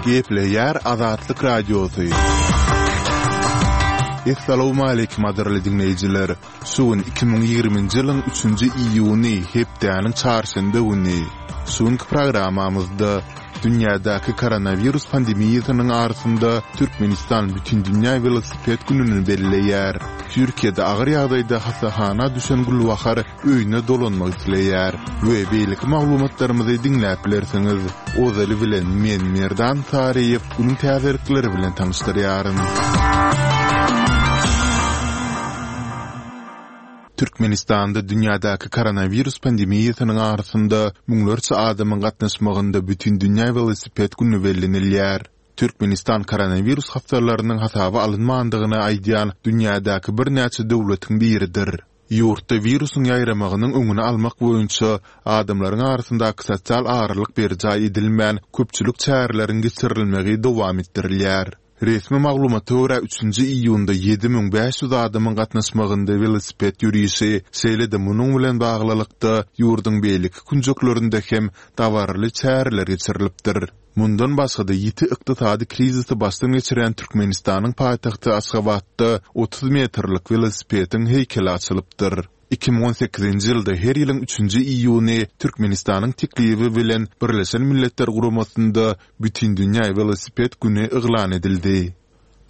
Gepleýär Azatlyk Radiosy. Essalawmaleýkim gadyrly diňleýjiler! Şu gün 2020-nji ýylyň üçünji iýuny, hepdäniň çarşenbe güni. Şu günki programmamyzda dünýädäki koronawirus pandemiýasynyň arasynda Türkmenistan Bütindünýä welosiped gününi belleýär. Türkiýede agyr ýagdaýda hassahana düşen Gülbahar öýüne dolanmak isleýär we beýleki maglumatlarymyzy diňläp bilersiňiz. Ozaly bilen men Merdan Saryýew günüň täzelikleri bilen tanyşdyrýaryn. Türkmenistanda dünýädäki koronawirus pandemiýasynyň arasynda müňlerçe adamyň gatnaşmagynda Bütindünýä welosiped güni bellenilýär. Türkmenistan koronawirus hassalarynyň hasaba alynmandygyny aýdýan dünýädäki birnäçe döwletiň biridir. Ýurtda wirusyň ýaýramagynyň öňüni almak boýunça adamlaryň arasyndaky sosial aralyk berjaý edilmän, köpçülik çäreleriň geçirilmegi dowam etdirilýär. Resmi maglumata görä, üçünji iýunda 7500 adamyň gatnaşmagynda welosiped ýörişi, şeýle-de munuň bilen baglylykda, ýurduň beýleki künjeklerinde hem dabaraly çäreler geçirilipdir. Mundan başga-da, ýiti ykdysady krizisi başdan geçirýän Türkmenistanyň paýtagty Aşgabatda 30 metrlik welosipediň heýkeli açylypdyr. 2018-nji ýylda her ýylyň üçünji iýuny Türkmenistanyň teklibi bilen Birleşen Milletler Guramasynda Bütindünýä welosiped güni yglan edildi.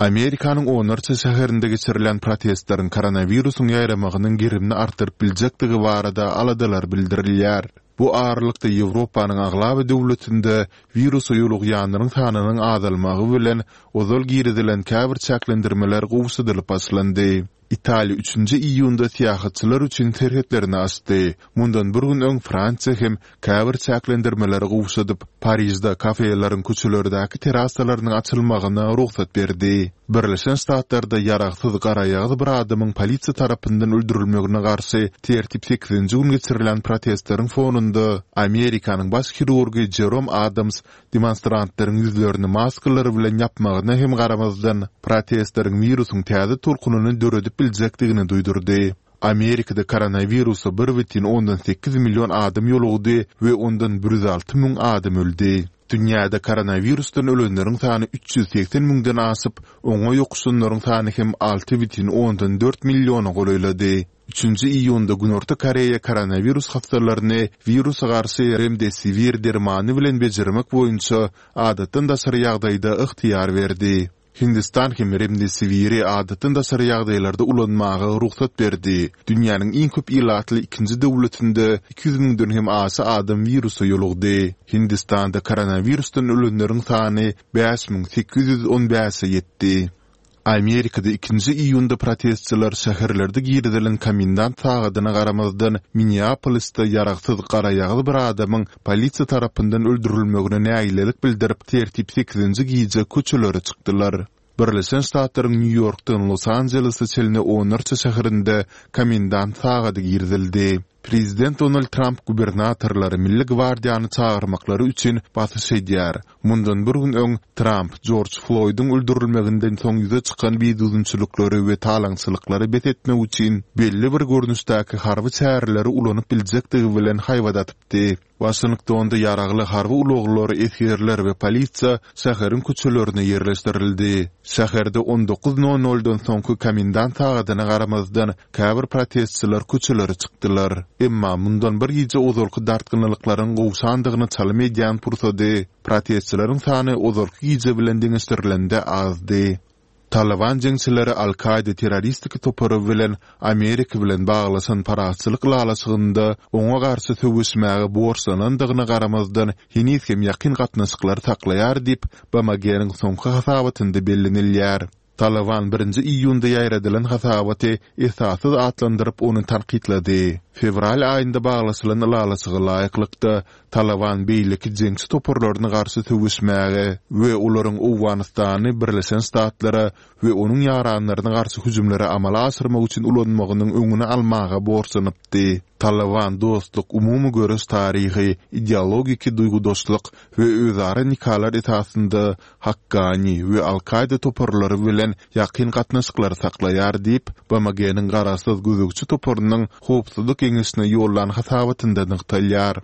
Amerikanyň onlarça şäherinde geçirilen protestleriň koronawirusyň ýaýramagynyň gerimini artdyryp biljekdigi barada aladalar bildirilýär. Bu aralykda Ýewropanyň aglaba döwletinde wirusa ýolugýanlaryň sanynyň azalmagy bilen ozal girizilen käbir çäklendirmeler gowşadylyp başlandy. Italiýa üçünji iýunda syýahatçylar üçin serhetlerini açdy. Mundan bir gün öň Fransiýa hem käbir çäklendirmeleri gowşadyp, Parižde kafeleriň köçelerdäki terasalarynyň açylmagyna rugsat berdi. Birleşen Ştatlarda ýaragsyz garaýagyz bir adamyň polisiýa tarapyndan öldürilmegine garşy tertip sekizinji gün geçirilen protestleriň fonunda Amerikanyň baş hirurgy Jerom Adams demonstrantlaryň ýüzlerini maskalar bilen ýapmagyna hem garamazdan, protestleriň wirusyň täze tolkunyny döredip biljekdigini duýdurdy. Amerikada koronawirusa 1,8 million adam ýolugdy we ondan 106 müň adam öldi. Dünýäde koronawirusdan ölenleriň sany 380 müňden aşyp, oňa ýokuşanlaryň sany hem 6,4 milliona golaýlady. Üçünji iýunda Günorta Koreýa koronawirus hassalaryny wirusa garşy Remdesivir dermany bilen bejermek boýunça adatdan daşary ýagdaýda ygtyýar berdi. Hindistan hem Remdesiviri adatdan daşary ýagdaýlarda ulanmaga rugsat berdi. Dünýäniň iň köp ilatly ikinji döwletinde 200 müňden hem aşa adam wirusa ýolugdy. Hindistanda koronawirusdan ölenleriň sany 5815-e ýetdi. Amerikada ikinji iýunda protestçiler şäherlerde girizilen komendant sagadyna garamazdan, Minneapolisde ýaragsyz garaýagyz bir adamyň polisiýa tarapyndan öldürilmegine nägilelik bildirip, tertip sekizinji gije köçelere çykdylar. Birleşen Ştatlaryň Nýu-Ýorkdan Los-Anjelese çenli onlarça şäherinde komendant sagady girizildi. Prezident Donald Tramp gubernatorlary Milli gwardiýany çagyrmaklary üçin basyş edýär. Mundan bir gün öň, Tramp Jorj Floýdyň öldürilmeginden soň ýüze çykan bidüzgünçilikleri we talaňçylyklary bes etmek üçin belli bir görnüşdäki harby çäreleri ulanyp biljekdigi bilen haýbat atypdy. Waşingtonda ýaragly harby ulaglar, esgerler we polisiýa şäheriň köçelerine ýerleşdirildi. Şäherde on dokuz nol noldan soňky komendant sagadyna garamazdan, käbir protestçiler köçelere çykdylar. Emma mundan bir gije ozalky dartgynlylyklaryň gowşandygyna çalym edýän pursady, protestçileriň sany ozalky gije bilen deňeşdirilende azdy. Talyban jeňçileri Al-Kaýda terroristik topary bilen Amerika bilen baglaşan parahatçylyk ylalaşygynda oňa garşy söweşmäge borçlanandygyna garamazdan, heniz hem ýakyn gatnaşyklary saklaýar diýip, BMG-niň soňky hasabatynda bellenilýär. Talyban birinji iýunda ýaýradylan hasabaty esassyz atlandyryp, ony tankytlady. Fewral aýynda baglaşylan ylalaşyga laýyklykda, Talyban beýleki jeňçi toparlaryna garşy söweşmäge we olaryň Owganystany Birleşen Ştatlara we onuň ýaranlaryna garşy hüjümleri amala aşyrmak üçin ulanmagynyň öňüni almaga borçlanypdy. Talyban dostluk, umumy göreş taryhy, ideologiki duýgudaşlyk we özara nikalar esasynda Hakkani we Al-Kaýda toparlary bilen ýakyn gatnaşyklary saklaýar diýip, BMG-niň garaşsyz gözegçi toparynyň Howpsuzlyk Geňeşine ýollan hasabatynda nygtalýar.